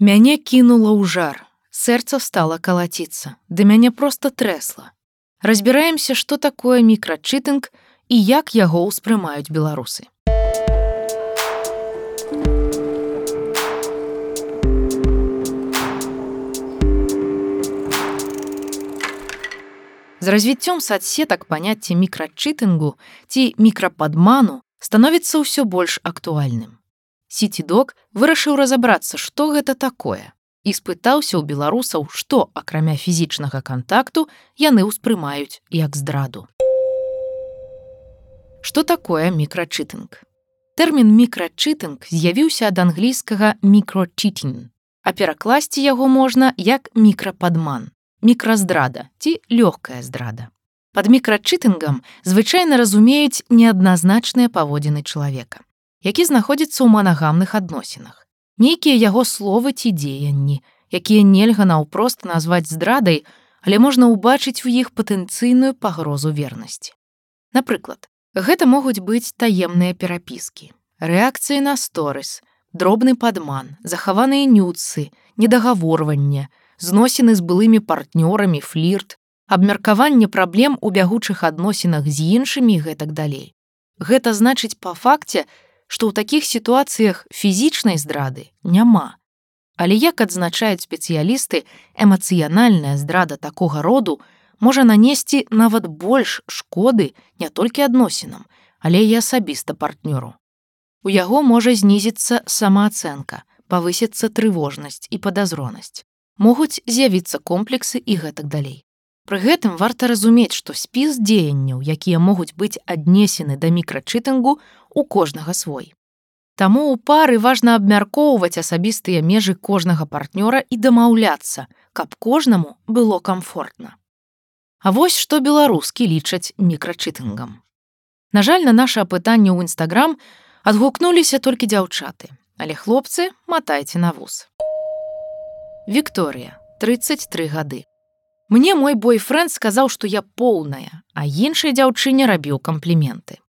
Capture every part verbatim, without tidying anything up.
Мяне кінула ў жар, сэрца стала калаціцца, да мяне проста трэсла. Разбіраемся, што такое мікрачытынг і як яго ўспрымаюць беларусы. З развіццём садсетак паняцце мікрачытынгу ці мікрападману становіцца ўсё больш актуальным. Сітідок вырашыў разабрацца, што гэта такое, і спытаўся ў беларусаў, што, акрамя фізічнага кантакту, яны ўспрымаюць як здраду. Што такое мікрачытынг? Тэрмін мікрачытынг з'явіўся ад англійскага microcheating, а перакласці яго можна як мікрападман, мікраздрада ці лёгкая здрада. Пад мікрачытынгам звычайна разумеюць неадназначныя паводзіны чалавека, які знаходзіцца ў манагамных адносінах. Нейкія яго словы ці дзеянні, якія нельга наўпрост назваць здрадай, але можна ўбачыць у іх патэнцыйную пагрозу вернасці. Напрыклад, гэта могуць быць таемныя перапіскі, рэакцыі на сторыс, дробны падман, захаваныя нюцы, недагаворванне, зносіны з былымі партнёрамі, флірт, абмеркаванне праблем у бягучых адносінах з іншымі і гэтак далей. Гэта значыць па факце, што ў такіх сітуацыях фізічнай здрады няма. Але, як адзначаюць спецыялісты, эмацыянальная здрада такога роду можа нанесці нават больш шкоды не толькі адносінам, але і асабіста партнёру. У яго можа знізіцца самаацэнка, павысіцца трывожнасць і падазронасць. Могуць з'явіцца комплексы і гэтак далей. Пры гэтым варта разумець, што спіс дзеянняў, якія могуць быць аднесены да мікрачытынгу, у кожнага свой. Таму ў пары важна абмяркоўваць асабістыя межы кожнага партнёра і дамаўляцца, каб кожнаму было камфортна. А вось што беларускі лічаць мікрачытынгам. На жаль, на наша апытанне ў Інстаграм адгукнуліся толькі дзяўчаты, але хлопцы матайце на вус. Вікторыя, трыццаць тры гады. Мне мой бойфрэнд сказаў, што я поўная, а іншай дзяўчыне рабіў кампліменты.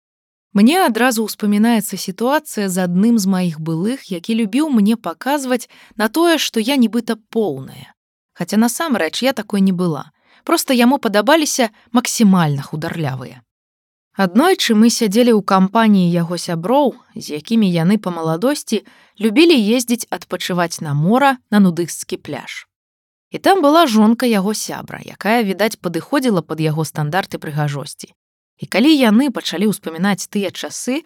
Мне адразу ўспамінаецца сітуацыя з адным з маіх былых, які любіў мне паказваць на тое, што я нібыта поўная. Хаця насамрэч я такой не была. Проста яму падабаліся максімальна хударлявыя. Аднойчы мы сядзелі ў кампаніі яго сяброў, з якімі яны па маладосці любілі ездзіць адпачываць на мора на нудысцкі пляж. І там была жонка яго сябра, якая, відаць, падыходзіла пад яго стандарты прыгажосці. І калі яны пачалі ўспамінаць тыя часы,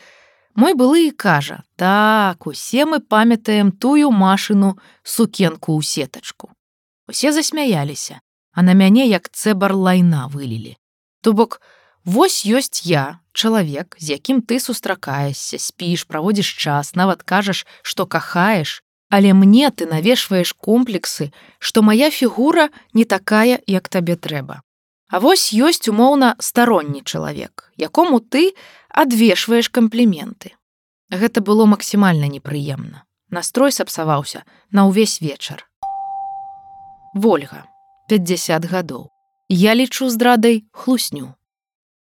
мой былы і кажа: «Так, усе мы памятаем тую Машыну сукенку ў сетачку». Усе засмяяліся, а на мяне як цэбар лайна вылілі. То бок, вось ёсць я, чалавек, з якім ты сустракаешся, спіш, праводзіш час, нават кажаш, што кахаеш, але мне ты навешваеш комплексы, што мая фігура не такая, як табе трэба. А вось ёсць умоўна старонні чалавек, якому ты адвешваеш кампліменты. Гэта было максімальна непрыемна. Настрой сапсаваўся на ўвесь вечар. Вольга, пяцьдзясят гадоў. Я лічу здрадай хлусню.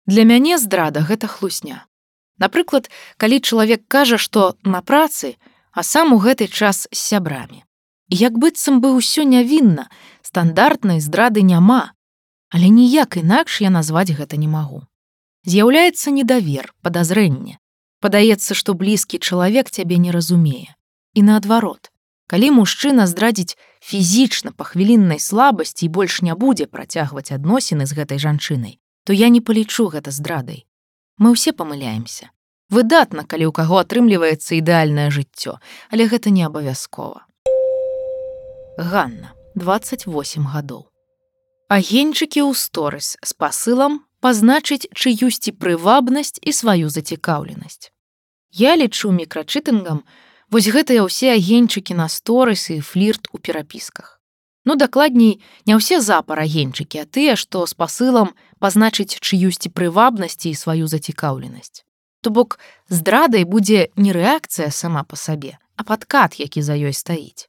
Для мяне здрада гэта хлусня. Напрыклад, калі чалавек кажа, што на працы, а сам у гэты час з сябрамі. І як быццам бы ўсё нявінна, стандартнай здрады няма. Але ніяк інакш я назваць гэта не магу. З'яўляецца недавер, падазрэнне. Падаецца, што блізкі чалавек цябе не разумее. І наадварот, калі мужчына здрадзіць фізічна па хвіліннай слабасці і больш не будзе працягваць адносіны з гэтай жанчынай, то я не палічу гэта здрадай. Мы ўсе памыляемся. Выдатна, калі ў каго атрымліваецца ідэальнае жыццё, але гэта не абавязкова. Ганна, дваццаць восем гадоў. Агеньчыкі ў сторыс з пасылам пазначыць чыюсьці прывабнасць і сваю зацікаўленасць. Я лічу мікрачытынгам вось гэтыя ўсе агеньчыкі на сторыс і флірт у перапісках. Ну, дакладней, не ўсе запар агеньчыкі, а тыя, што з пасылам пазначыць чыюсьці прывабнасці і сваю зацікаўленасць. То бок, здрадай будзе не рэакцыя сама па сабе, а падкат, які за ёй стаіць.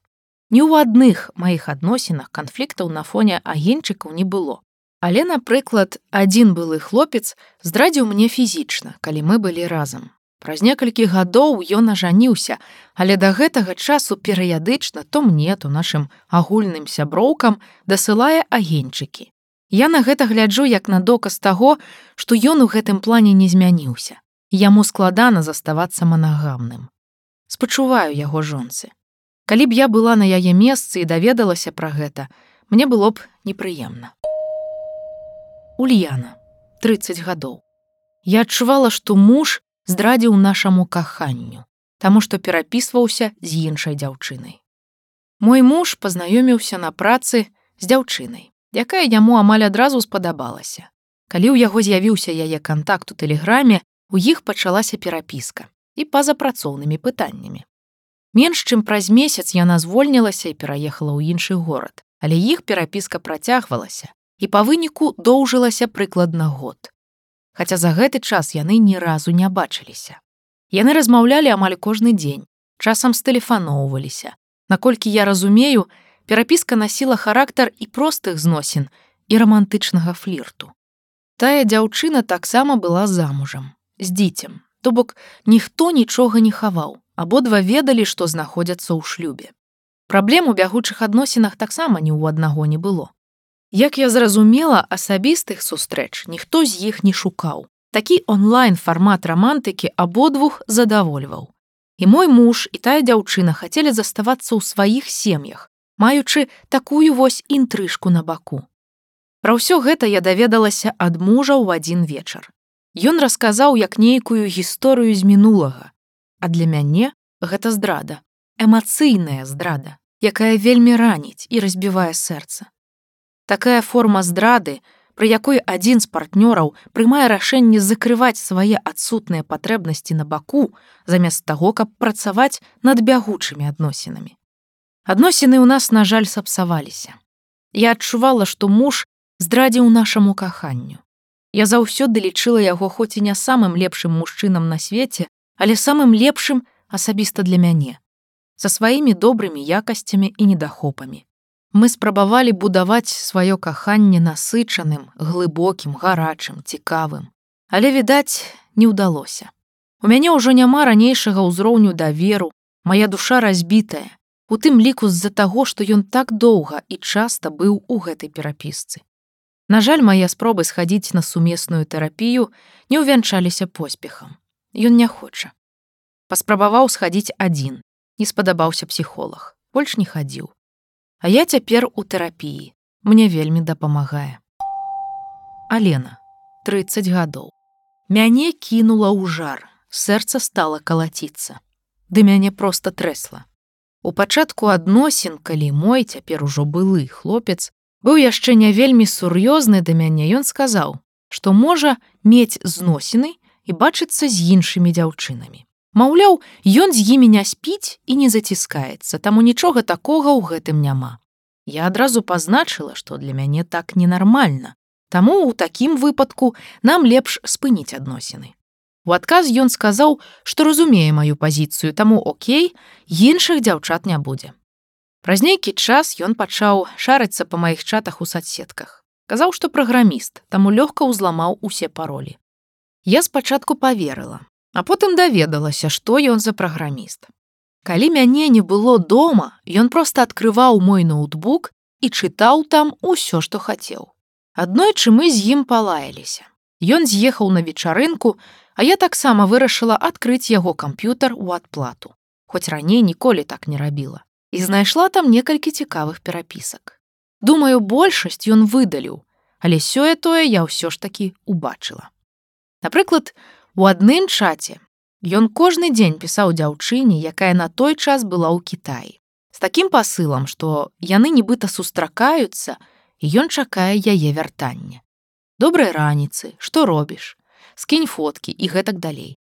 Ні ў адных маіх адносінах канфліктаў на фоне агеньчыкаў не было. Але, напрыклад, адзін былы хлопец здрадзіў мне фізічна, калі мы былі разам. Праз некалькі гадоў ён ажаніўся, але да гэтага часу перыядычна то мне, то нашым агульным сяброўкам дасылае агеньчыкі. Я на гэта гляджу як на доказ таго, што ён у гэтым плане не змяніўся. Яму складана заставацца манагамным. Спачуваю яго жонцы. Калі б я была на яе месцы і даведалася пра гэта, мне было б непрыемна. Ульяна, трыццаць гадоў. Я адчувала, што муж здрадзіў нашаму каханню, таму што перапісваўся з іншай дзяўчынай. Мой муж пазнаёміўся на працы з дзяўчынай, якая яму амаль адразу спадабалася. Калі ў яго з'явіўся яе кантакт у тэлеграме, у іх пачалася перапіска і па-за працоўнымі пытаннямі. Менш чым праз месяц яна звольнілася і пераехала ў іншы горад, але іх перапіска працягвалася і па выніку доўжылася прыкладна год. Хаця за гэты час яны ні разу не бачыліся. Яны размаўлялі амаль кожны дзень, часам стэлефаноўваліся. Наколькі я разумею, перапіска насіла характар і простых зносін, і рамантычнага флірту. Тая дзяўчына таксама была замужам, з дзіцем, то бок ніхто нічога не хаваў, абодва ведалі, што знаходзяцца ў шлюбе. Праблем у бягучых адносінах таксама ні ў аднаго не было. Як я зразумела, асабістых сустрэч ніхто з іх не шукаў. Такі онлайн-фармат рамантыкі абодвух задавольваў. І мой муж, і тая дзяўчына хацелі заставацца ў сваіх сем'ях, маючы такую вось інтрыжку на баку. Пра ўсё гэта я даведалася ад мужа ў адзін вечар. Ён расказаў як нейкую гісторыю з мінулага. А для мяне гэта здрада, эмацыйная здрада, якая вельмі раніць і разбівае сэрца. Такая форма здрады, пры якой адзін з партнёраў прымае рашэнне закрываць свае адсутныя патрэбнасці на баку, замест таго, каб працаваць над бягучымі адносінамі. Адносіны ў нас, на жаль, сапсаваліся. Я адчувала, што муж здрадзіў нашаму каханню. Я заўсёды лічыла яго хоць і не самым лепшым мужчынам на свеце, але самым лепшым асабіста для мяне, са сваімі добрымі якасцямі і недахопамі. Мы спрабавалі будаваць сваё каханне насычаным, глыбокім, гарачым, цікавым. Але, відаць, не ўдалося. У мяне ўжо няма ранейшага ўзроўню даверу, мая душа разбітая, у тым ліку з-за таго, што ён так доўга і часта быў у гэтай перапісцы. На жаль, мае спробы схадзіць на сумесную тэрапію не ўвянчаліся поспехам. Ён не хоча. Паспрабаваў схадзіць адзін, не спадабаўся псіхолаг, больш не хадзіў. А я цяпер у тэрапіі. Мне вельмі дапамагае. Алена, трыццаць гадоў. Мяне кінула ў жар, сэрца стала калаціцца. Ды мяне проста трэсла. У пачатку адносін, калі мой, цяпер ужо былы хлопец, быў яшчэ не вельмі сур'ёзны да мяне, ён сказаў, што можа мець зносіны і бачыцца з іншымі дзяўчынамі. Маўляў, ён з імі не спіць і не заціскаецца, таму нічога такога ў гэтым няма. Я адразу пазначыла, што для мяне так ненармальна, таму ў такім выпадку нам лепш спыніць адносіны. У адказ ён сказаў, што разумее маю пазіцыю, таму окей, іншых дзяўчат не будзе. Праз нейкі час ён пачаў шарыцца па маіх чатах у соцсетках. Казаў, што праграміст, таму лёгка ўзламаў усе паролі. Я спачатку паверыла, а потым даведалася, што ён за праграміст. Калі мяне не было дома, ён проста адкрываў мой ноутбук і чытаў там усё, што хацеў. Аднойчы мы з ім палаяліся. Ён з'ехаў на вечарынку, а я таксама вырашыла адкрыць яго камп'ютар у адплату, хоць раней ніколі так не рабіла, і знайшла там некалькі цікавых перапісак. Думаю, большасць ён выдаліў, але сёе-тое я ўсё ж такі убачыла. Напрыклад, у адным чаце ён кожны дзень пісаў дзяўчыне, якая на той час была ў Кітаі, з такім пасылам, што яны нібыта сустракаюцца, і ён чакае яе вяртання. Добрай раніцы, што робіш? Скінь фоткі і гэтак далей.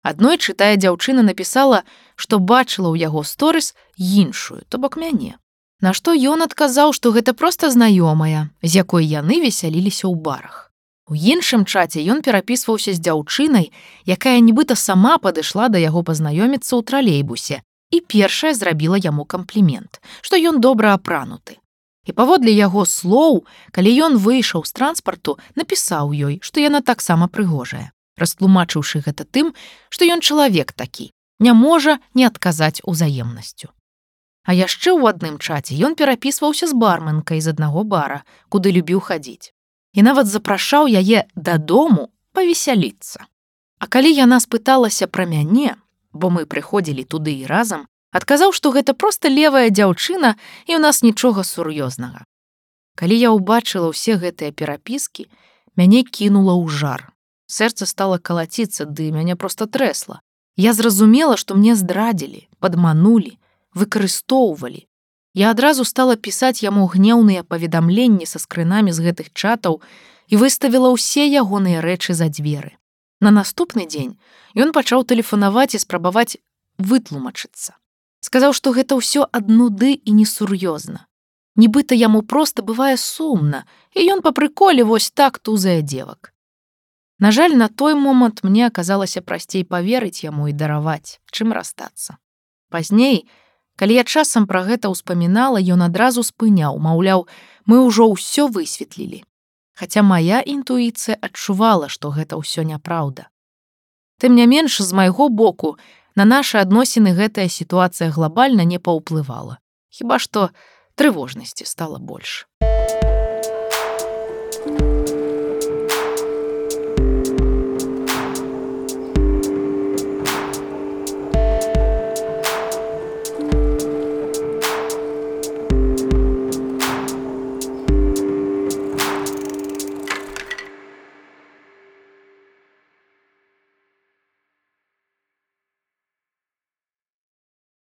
Аднойчы тая дзяўчына напісала, што бачыла ў яго сторыс іншую, то бок мяне. На што ён адказаў, што гэта проста знаёмая, з якой яны весяліліся ў барах. У іншым чаце ён перапісваўся з дзяўчынай, якая нібыта сама падышла да яго пазнаёміцца ў тралейбусе і першая зрабіла яму камплімент, што ён добра апрануты. І паводле яго слоў, калі ён выйшаў з транспарту, напісаў ёй, што яна таксама прыгожая. растлумачыўшы гэта тым, што ён чалавек такі, не можа не адказаць узаемнасцю. А яшчэ ў адным чаце ён перапісваўся з барменкай з аднаго бара, куды любіў хадзіць. І нават запрашаў яе дадому павесяліцца. А калі яна спыталася пра мяне, бо мы прыходзілі туды і разам, адказаў, што гэта проста левая дзяўчына і ў нас нічога сур'ёзнага. Калі я ўбачыла ўсе гэтыя перапіскі, мяне кінула ў жар. Сэрца стала калаціцца, ды мяне проста трэсла. Я зразумела, што мне здрадзілі, падманулі, выкарыстоўвалі. Я адразу стала пісаць яму гнеўныя паведамленні са скрынамі з гэтых чатаў і выставіла ўсе ягоныя рэчы за дзверы. На наступны дзень ён пачаў тэлефанаваць і спрабаваць вытлумачыцца. Сказаў, што гэта ўсё ад нуды і несур'ёзна. Нібыта яму проста бывае сумна, і ён па прыколе вось так тузае дзевак. На жаль, на той момант мне аказалася прасцей паверыць яму і дараваць, чым расстацца. Пазней, калі я часам пра гэта ўспамінала, ён адразу спыняў, маўляў, мы ўжо ўсё высветлілі. Хаця мая інтуіцыя адчувала, што гэта ўсё няпраўда. Тым не менш, з майго боку, на нашы адносіны гэтая сітуацыя глобальна не паўплывала. Хіба што трывожнасці стала больш.